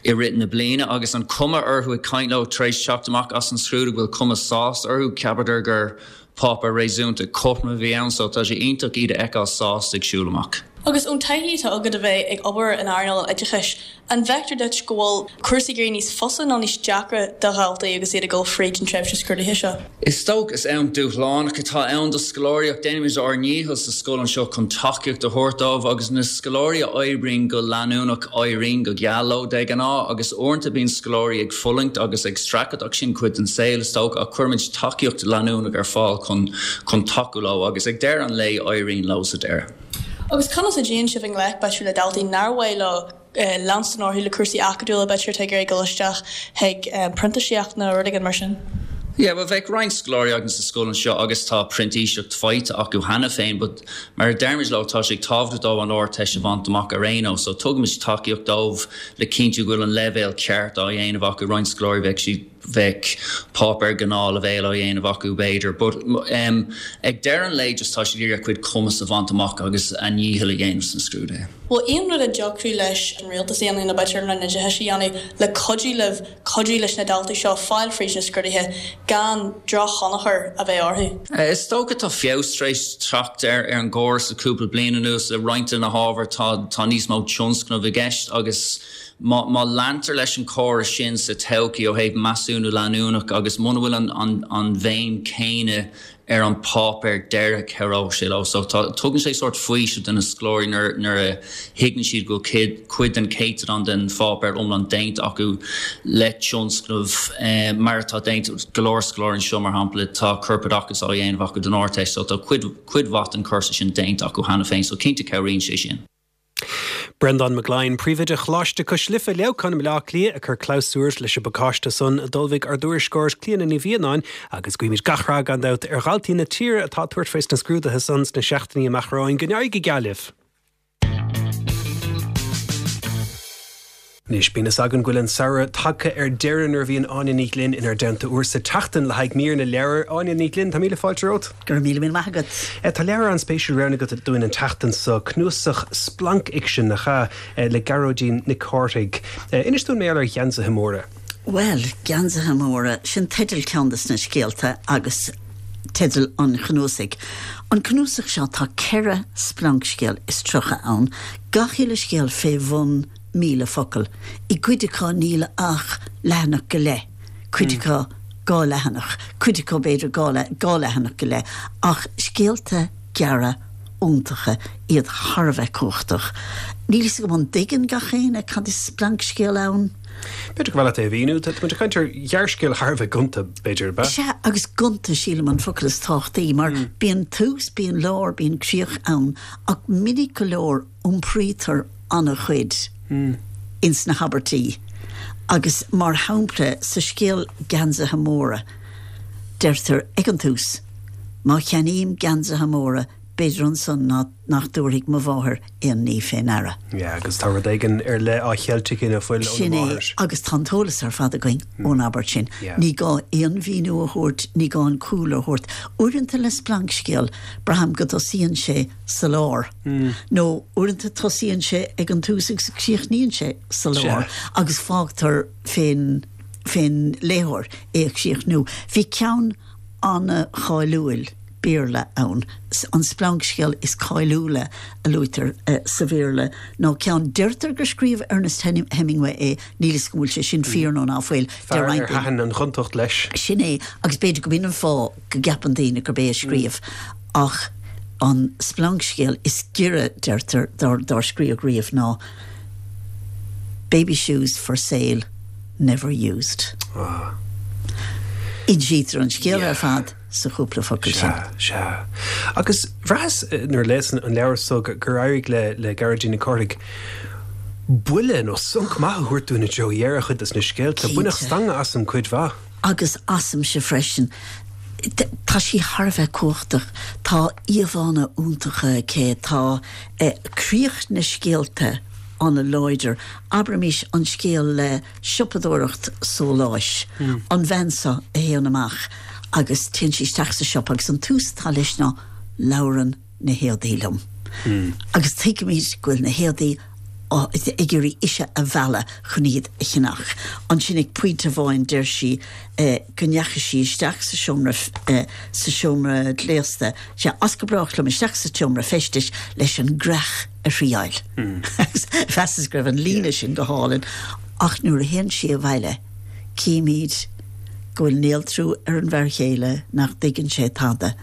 i rith na bliana agus an cuma orthu ag caint leo tar éis teacht amach as an scrúdú bhfuil cuma sásta orthu ceapadar gur páipéar réasúnta cothrom a bhí ann so tá sé iontach iad a fheiceáil sásta ag siúl amach. Agus ón taithí atá agat a bheith ag obair in earnáil an oideachais, an bhfeictear duit go bhfuil cúrsaí ag éirí níos fusa nó níos deacra do dhaltaí agus iad ag dul fríd an tréimhse scrúdaithe seo? Is dócha is am dúshlánach atá ann do scoláirí ach déanaimid ár ndícheall sa scoil anseo chun tacaíocht a thabhairt dóibh agus na scoláirí a oibríonn go leanúnach éiríonn go geal leo de ghnáth agus uaireanta bíonn scoláirí ag fulaingt agus ag streachailt ach sin cuid den saol is dócha ach cuirimid tacaíocht leanúnach ar fáil chun chun tacú leo agus ag deireadh an lae éiríonn leo sa deireadh. Agus conas a dtéann sibh i ngleic b'fhéidir le daltaí nár mhaith leo leanstan orthu le cúrsaí acadúla b'fhéidir atá ag iarraidh dul isteach chuig printíseacht nó rud éigin mar sin. Yeah, well bheadh roinnt scoláirí againn sa scoil anseo agus tá printíseacht faighte acu cheana féin, but mar a deirimid leo tá sé tábhachtach dóibh an Ardteist a bhaint amach ar aon nós, so tugaimid tacaíocht dóibh le cinntiú go bhfuil an leibhéal ceart á dhéanamh acu roinnt scoláirí bheadh siad bheadh páipéar gnáthleibhéal á dhéanamh acu b'fhéidir, but um, ag deireadh an lae just tá siad ag iarraidh cuid cumas a bhaint amach agus a ndícheall a dhéanamh sna scrúduithe. Bhfuil aon rud a dtiocfadh leis an rialtas a dhéanamh nó b'fhéidir an Roinn Oideachais a dhéanamh le cuidiú libh cuidiú leis na daltaí seo fáil fríd na scrúduithe gan drochthionchar a bheith orthu. Is dócha tá feabhas tar éis teacht ar ar an gcóras le cúpla bliain anuas le roinnt de na hábhair tá tá níos mó tionscnamh i gceist agus má, má leantar leis an córas sin sa todhchaí ó thaobh measúnú leanúnach agus muna bhfuil an, an, an bhéim céanna ar an páipéar deiridh cabhróidh sé leo. So tá tugann sé sórt faoiseamh do na scoláirí nuair nuair a thuigeann siad go cuid cuid den céatadán den pháipéar iomlán déanta acu le tionscnamh eh, mar atá déanta go leor scoláirí anseo mar shampla tá corpoideachas á dhéanamh acu don Ardteist, so tá cuid cuid mhaith den cúrsa sin déanta acu cheana féin, so cinnte cabhraíonn sé sin. Breandán Mac Gloinn, Príomhoide Choláiste Cois Life, Leamhcán i mBaile Átha Cliath, ag cur clabhsúr leis an bpacáiste san a d'ullmhaigh ár dtuairisceoir Clíona Ní Mhianáin agus guímid gach rath gan dabht ar dhaltaí na tíre atá ag tabhairt faoi sna scrúduithe san sna seachtainí amach romhainn. Go n-éirí go geal libh. Anois, bíonn fhios againn go bhfuil an samhradh tagtha ar deireadh nuair a bhíonn Áine Ní Ghlinn inár dteannta uair sa tseachtain le haghaidh mír na leabhar. Áine Ní Ghlinn, tá míle fáilte romhat. Go raibh míle míle maith agat. Tá leabhar an-spéisiúil roghnaithe agat dúinn an tseachtain seo, cnuasach splancfhicsin, nach ea, le Gearóidín Nic Cárthaigh. Inis dúinn mar gheall ar Gheansaithe Móra. Bhuel, Geansaithe Móra, sin teideal ceann de na scéalta agus teideal an chnuasaigh. An cnuasach seo, tá ceithre splancscéal is tríocha ann, gach uile scéal fé bhun míle focal. I gcuid acu níl ach leathanach go leith, cuid acu dhá leathanach, cuid acu b'fhéidir dhá leathanach go leith, ach scéalta gearra iontacha, iad thar a bheith cumhachtach. Níl fhios agam an dtuigeann gach éinne cad is splancscéal ann. B'fhéidir gur mhaith leat é a mhíniú. Tá muid ag caint ar ghearrscéal thar a bheith gonta, b'fhéidir, ab ea? Sea, agus gonta, sílim, an focal is tábhachtaí, mar bíonn tús, bíonn lár, bíonn críoch ann, ach minic go leor iompraítear an-chuid ins na habairtí agus, mar shampla, sa scéal Geansaithe Móra, deirtear ag an tús, Má cheannaím geansaithe móra, b'fhéidir ansan nach dtabharfaidh mo mháthair aon ní fé ndeara. Yeah, agus tá rud éigin ar leith á cheilt aici ná fuil óna Sin é, máthair. agus tá an t-eolas ar fad againn ón abairt sin. Yeah. Ní gá aon mhíniú a thabhairt, ní gá an cúlra a thabhairt. Uaireanta le splancscéal, braithim go dtosaíonn sé sa lár. Nó uaireanta tosaíonn sé ag an tús agus críochnaíonn sé sa lár agus fágtar fén fén léitheoir é a chríochnú. Bhí ceann an-cháiliúil Béarla ann. An splancscéal is cáiliúla a luaitear sa Bhéarla ná ceann, deirtear gur scríobh Ernest Hemingway é, níl 'fhios agam an bhfuil sé sin fíor nó ná fuil, Fear ar thaitin an ghontacht leis. Sin é, agus b'fhéidir go b'in an fáth go gceapann daoine gurb é a scríobh, ach an splancscéal is giorra, deirtear, dár scríobhadh riamh ná Baby Shoes for Sale, Never Used. Insítear an scéal ar fad sa chúpla focal sin. Sea, sea. Agus bhraitheas nuair a léas an leabhar so gur éirigh le le Gearóidín Nic Cárthaigh buille nó sonc maith a thabhairt dúinn i dtreo dheireadh chuid des na scéalta. Baineadh stangadh asam cuid mhaith. Agus asamsa freisin. Tá sí thar a bheith cumhachtach. Tá íomhánna iontacha aici. Tá críoch na scéalta an-láidir. Abraimis an scéal le siopadóireacht sóláis. An bhean seo a théann amach agus téann sí isteach sa siopa agus an tús atá leis ná 'Labhrann na héadaí liom. Agus tuigimid go bhfuil na héadaí ag iarraidh ise a mhealladh chun iad a cheannach. Ansin ag pointe amháin deir sí go ndeachaigh sí isteach sa seomra sa seomra gléasta, sea, as go brách liom isteach sa tseomra feistis leis an gcreach a thriáil. Agus mheasas go raibh an líne sin go hálainn. Ach nuair a théann sí abhaile címid go bhfuil néaltrú ar an bhfear chéile, nach dtuigeann sé tada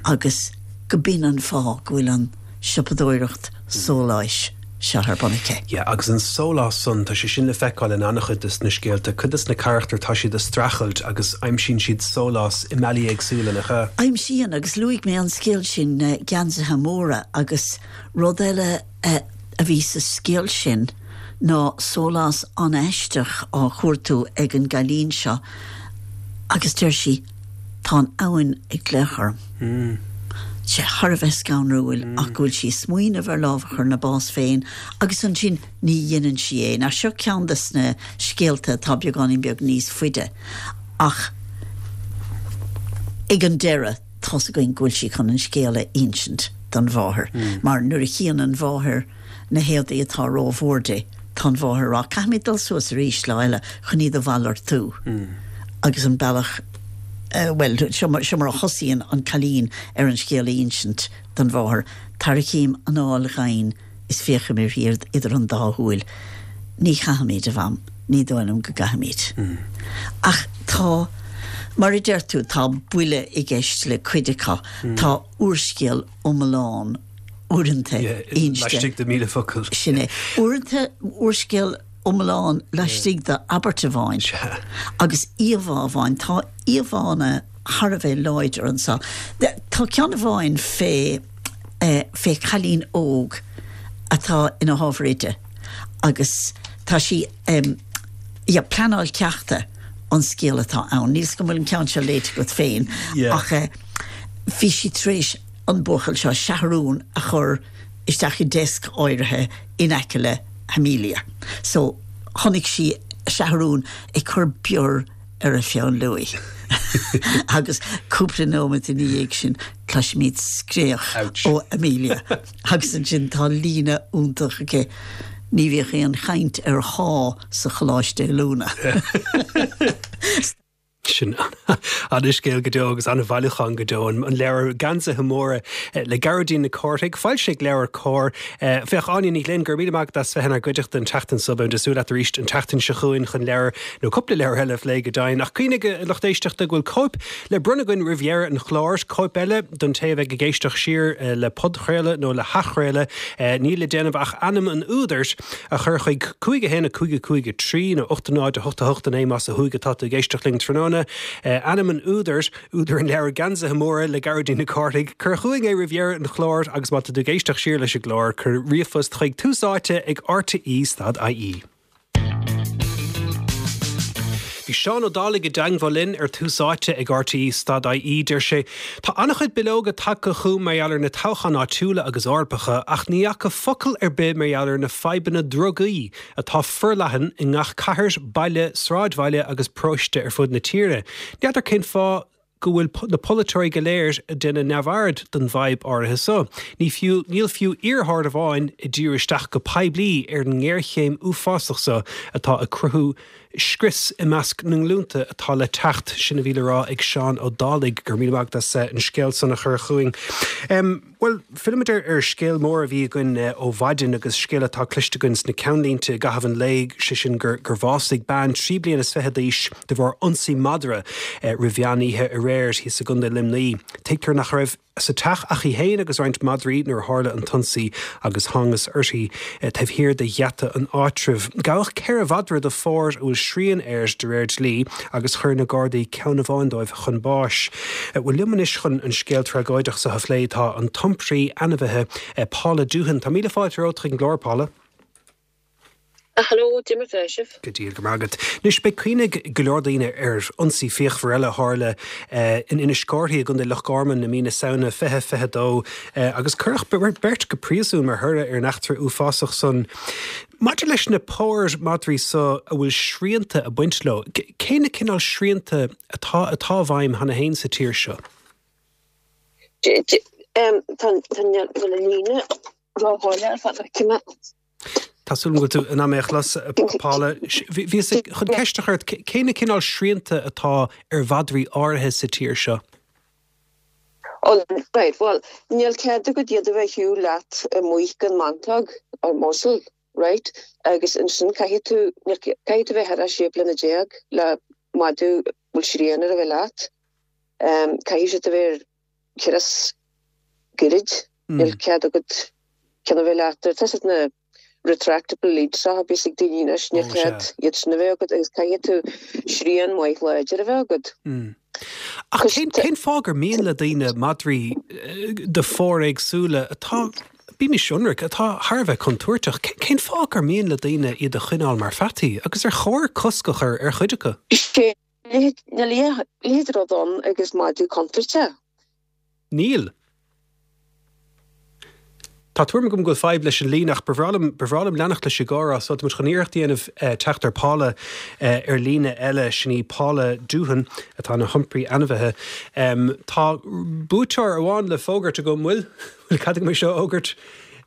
agus go b'in an fáth go bhfuil an siopadóireacht sóláis seo ar bun aici. Yeah, agus an sólás san, tá sé sin le feiceáil in an-chuid des na scéalta. Cuid des na carachtair, tá siad ag streachailt agus aimsíonn siad sólás i mbealaí éagsúla, nach ea? Aimsíonn, agus luaigh mé an scéal sin, Geansaithe Móra, agus rud eile a bhí sa scéal sin ná sólás an-aisteach á chuartú ag an gcailín seo agus deir sí, 'Tá an abhainn ag glaoch orm. Sé thar a bheith scanrúil ach go bhfuil sí ag smaoineamh ar lámh a chur ina bás féin agus ansin ní dhéanann sí é. Now seo ceann des na scéalta atá beagáinín beag níos faide ach ag an deireadh tá's againn go bhfuil sí chun an scéal a insint don mháthair mar nuair a chíonn an mháthair na héadaí atá rómhór di, tá an mháthair ag rá 'caithfimid dul suas arís lá eile chun iad a mhalartú' agus an bealach Bhuel, seo mar a thosaíonn an cailín ar an scéal a insint don mháthair, Tarraicím anáil dhoimhin is féachaim uirthi idir an dá shúil. Ní chaithfimid, a Mham. Ní dóigh liom go gcaithfimid. Ach tá, mar a deir tú, tá buille i gceist le cuid acu. Tá úrscéal iomlán uaireanta inste. Laistigh de mhíle focal. Sin é. Uaireanta úrscéal iomlán laistigh d'abairt amháin agus íomhá amháin. Tá íomhánna thar a bheith láidir anseo. Tá ceann amháin fé fé chailín óg atá ina hábhar oide Agus tá sí um, yeah, pleanáil ceachta an scéal atá ann. Níl go bhfuil an ceann seo léite agat féin Yeah. ach eh, bhí sí tar éis an buachaill seo seathrún a chur isteach i desk áirithe in aice le hAmelia. So chonaic sí seathrún ag cur bior ar a pheann luaidhe. agus cúpla nóiméad ina dhiaidh sin cloisimid scréach ó Amelia. agus ansin tá líne iontach aici ní bhíodh aon chaint ar shá sa choláiste oiliúna. Sin an-scéal go deo agus an-bhailiúchán go deo an leabhar Geansaithe Móra eh, le Gearóidín Nic Cárthaigh, foilsithe ag LeabhairCOMHAR eh, Féach Áine Ní Ghlinn gur mí as bheith inár gcuideachta an tseachtain seo beidh súil leat arís an tseachtain seo chugainn chun leabhar nó cúpla leabhar eile a phlé go deimhin ach cuimhnigh a lucht éisteachta go bhfuil cóip le bronnadh againn roimh dheireadh an chláir cóip eile don té a bheidh ag éisteacht siar eh, le podchraoladh nó le hathchraoladh níl le déanamh ach ainm an údair a chur chuig cúig a haon a cúig a cúig a trí nó ocht náid a hocht a hocht a naoi más ó thuaidh atá tú ag éisteacht linn tráthnóna. Eh, ainm an údair údar an leabhar Geansaithe Móra le Gearóidín Nic Cárthaigh, cuir chugainn é roimh dheireadh an chláir agus má tá tú ag éisteacht siar leis an gclár cuir ríomhphost chuig tús áite ag RTE stad IE. Bhí Seán Ó Dálaigh i dteagmháil linn ar tús áite ag RTE stad IE deir sé Tá an-chuid bileoga tagtha chugam mar gheall ar na toghcháin áitiúla agus Eorpacha ach ní fhaca focal ar bith mar gheall ar na fadhbanna drugaí atá forleathan i ngach cathair, baile, sráidbhaile agus paróiste ar fud na tíre. N'fheadar cén fáth go bhfuil na polaiteoirí go léir ag déanamh neamhaird den bhfadhb áirithe seo. Ní fiú níl fiú iarrthóir amháin ag díriú isteach go poiblí ar an ngéarchéim uafásach seo atá ag cruthú scrios i measc na nglúnta atá le teacht sin a bhí le rá ag Seán Ó Dálaigh gur mí as an scéal san a chur chugainn. Um, well, Fillimid ar ar scéal mór a bhí againn uh, ó mhaidin agus scéal atá cloiste againn sna ceannlínte i gcaitheamh an lae sé sin gur gur bhásaigh bean trí bliana is fiche d'aois de bharr ionsaí madra uh, roimh mheán oíche aréir thíos i gContae Luimnigh. Tuigtear nach raibh sa teach ach í féin agus roinnt madraí nuair a tharla an t-ionsaí agus thángthas uirthi eh, taobh thiar de gheata an áitribh. Gabhadh ceithre mhadra de phór a bhfuil srian air de réir dlí agus chuir na Gardaí ceann amháin dóibh chun báis. Eh, Bhuel liom anois chun an scéal tragóideach seo a phlé tá an t-iompraí ainmhithe eh, Paula Doohan. Tá míle fáilte romhat chuig an gclár Paula. Hello, Jimmy sibh. Go dtí go maith agat. Anois beidh cuimhne ag go leor daoine ar ionsaí fíochmhar eile a tharla eh, in Inis Córthaidh i gContae Loch Garman i mí na Samhna fiche fiche dó eh, agus cuireadh beirt go príosún mar thoradh ar an eachtra uafásach san. Maidir leis na póir madraí seo a bhfuil srianta ag baint leo, cé na cineál srianta atá atá i bhfeidhm cheana féin sa tír seo? Tá líne ráháile ar fad cime. Tá súil agam go bhfuil tú in ann mé a chlos Paula bhí chun ceist a chur cé na cineál srianta atá ar mhadraí áirithe sa tír seo? Oh, right, well, níl cead agat iad a bheith shiúl leat amuigh gan mhantóg or muzzle, right? Agus ansin caithfidh tú caithfidh tú bheith thar sé bliana déag le madadh a bhfuil srian air a bheith leat. Um, caithfidh siad a bheith ceras gairid, níl cead agat ceann a bheith leat tá na retractable leads a bhíos ag daoine anois níl cead iad sin a bheith agat agus caithfidh tú srian maith láidir a bheith agat. Ach cén cén fáth gur mian le daoine madraí de phóir éagsúla atá bímis ionraic atá thar a bheith contúirteach, cén fáth gur mian le daoine iad a choinneáil mar pheataí agus ar chóir cosc a chur ar chuid acu? Sé leithéid rud ann agus madadh contúirteach. Níl. Tá tuairim agam go bhfuil fadhb leis an líne ach ba bhreá liom leanacht leis an gcomhrá so muid chun iarracht a dhéanamh teacht ar Paula ar líne eile sin í Paula Doohan atá ina hiompraí ainmhithe. Tá buaiteoir amháin le fógairt agam bhfuil bhfuil cead agam seo a fhógairt.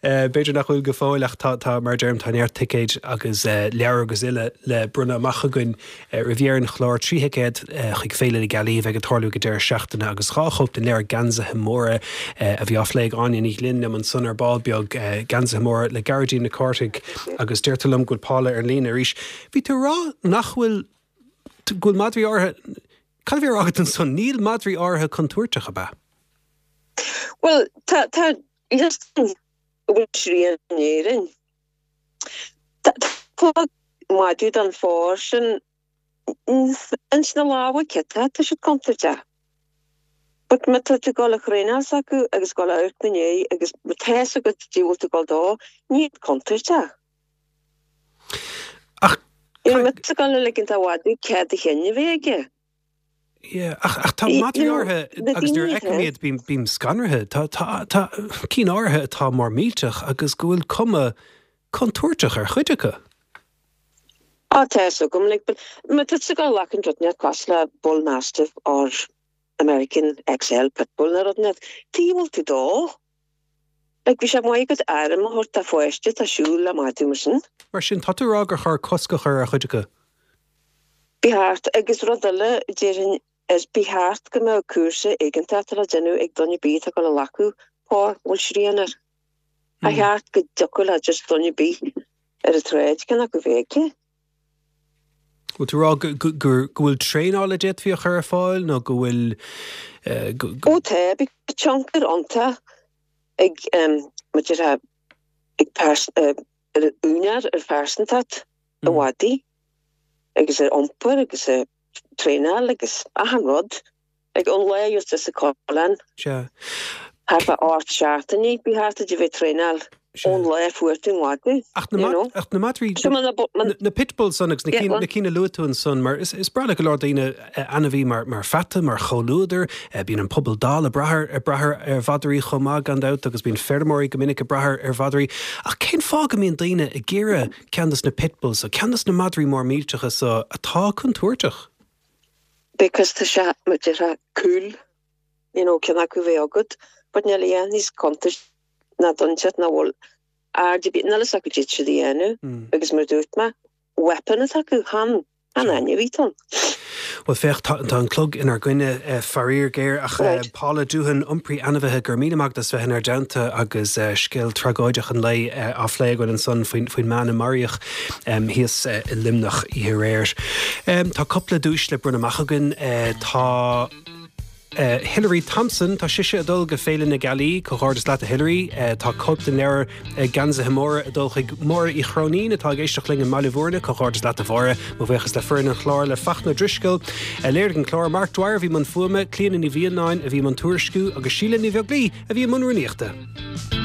B'fhéidir nach bhfuil go fóill ach tá mar deirim tá neart ticéid agus leabhar agus uile le bronnadh amach againn roimh dheireadh an chláir trí thicéad chuig Féile na Gealaí a bheidh ag tarlú go deireadh seachtaine agus dhá chóip den leabhar Geansaithe Móra a bhí á phlé ag Áine Ní Ghlinn liom ansan ar ball beag Geansaithe Móra le Gearóidín Nic Cárthaigh agus deirtear liom go bhfuil Paula ar an líne arís. Bhí tú ag rá nach bhfuil go bhfuil madraí áirithe Cad a bhí á rá agat ansan níl madraí áirithe contúirteach ab ea? Well tá tá bhfuil srian in Éirinn. Tá madadh den phór sin ins na lámha cinnte tá siad contúirteach. But má tá tú ag dul a thraenáil s'acu agus dul a amharc ina ndiaidh agus má tá a fhios agat dé bhfuil tú ag dul dó, níl contúirteach. Ach You know, mise ag dul a ligint do mhadadh cead a chinn a bheith aige. Yeah, ach, ach tá madraí áirithe agus nuair a fheicim iad bím, bím scanraithe. Tá, tá, tá cinn áirithe atá mór millteach agus go bhfuil cuma contúirteach ar chuid acu. Á tá fhios agam, like, but má tá tú ag dul a ghlacadh rud inteacht cosúil le Bull Mastiff or American XL Pitbull nó rud inteacht, tuige a bhfuil tú dó? Like, bhí sé maith agat airm a thabhairt do pháiste atá ag siúl le madadh mar sin. Mar sin, tá tú ag rá gur chóir cosc a chur ar chuid acu? Ba cheart, agus rud eile, déarfainn, is ba cheart go mbeadh cúrsa éigeantach le déanamh ag duine ar bith atá ag dul a ghlacadh pór a bhfuil srian air. Ba cheart go dtiocfadh le just duine ar bith ar an tsráid ceann acu a bheith aici. Bhfuil tú ag rá go bhfuil traenáil a d'fhéadfaí a chur ar fáil nó go bhfuil go. Ó tá, bíonn tionchar iontach ag mar a déarfá ag ar an úinéir ar phearsantacht an mhadaidh agus ar iompar agus ar traenáil agus achan rud. Ag an lá a bhíos sa choileán. Sea. Thart fá ocht seachtainí, ba cheart duit a bheith ag traenáil ón lá a fuair tú an madadh. Ach na ach na madraí na pitbulls san agus na cinn na cinn a luaigh tú ansan mar is is breá le go leor daoine ainmhí mar mar pheata mar chomhluadar, bíonn an pobal dall ag brath ag brath ar mhadraí chomh maith gan dabht agus bíonn feirmeoirí go minic ag brath ar mhadraí. Ach cén fáth go mbíonn daoine ag iarraidh ceann dos na pitbulls so, ceann dos na madraí mór millteacha so atá contúirteach? Because tá sé mar a déarfá cool, you know, ceann acu a bheith agat, but níl a dhath níos contúirtí ná duine inteacht nach bhfuil aird ar bith, níl fhios acu cad iad siad a dhéanamh agus mar a dúirt mé, weapon atá acu, chan chan ainmhí atá ann. Bhuel féach, tá tá an clog inár gcoinne, faraor géar, ach Paula Doohan, iompraí ainmhithe, go raibh míle maith agat as bheith inár dteannta agus scéal tragóideach an lae á phlé againn ansan faoin faoin mbean a maraíodh thíos i Luimneach oíche aréir. Tá cúpla duais le bronnadh amach againn. Tá. Hilary Thompson, tá sise ag dul go Féile na Gealaí, comhghairdeas leat a Hilary. Tá cóip den leabhar Geansaithe Móra ag dul chuig Máire Uí Chróinín atá ag éisteacht linn i mBaile Bhúirne, comhghairdeas leat a Mháire. Mo bhuíochas le foireann an chláir, le Fachtna Ó Drisceoil a léirigh an clár, Mark Dwyer a bhí i mbun fuaime, Clíona Ní Mhianáin a bhí i mbun tuairisciú agus Síle Ní Bheaglaoí a bhí i mbun rúnaíochta.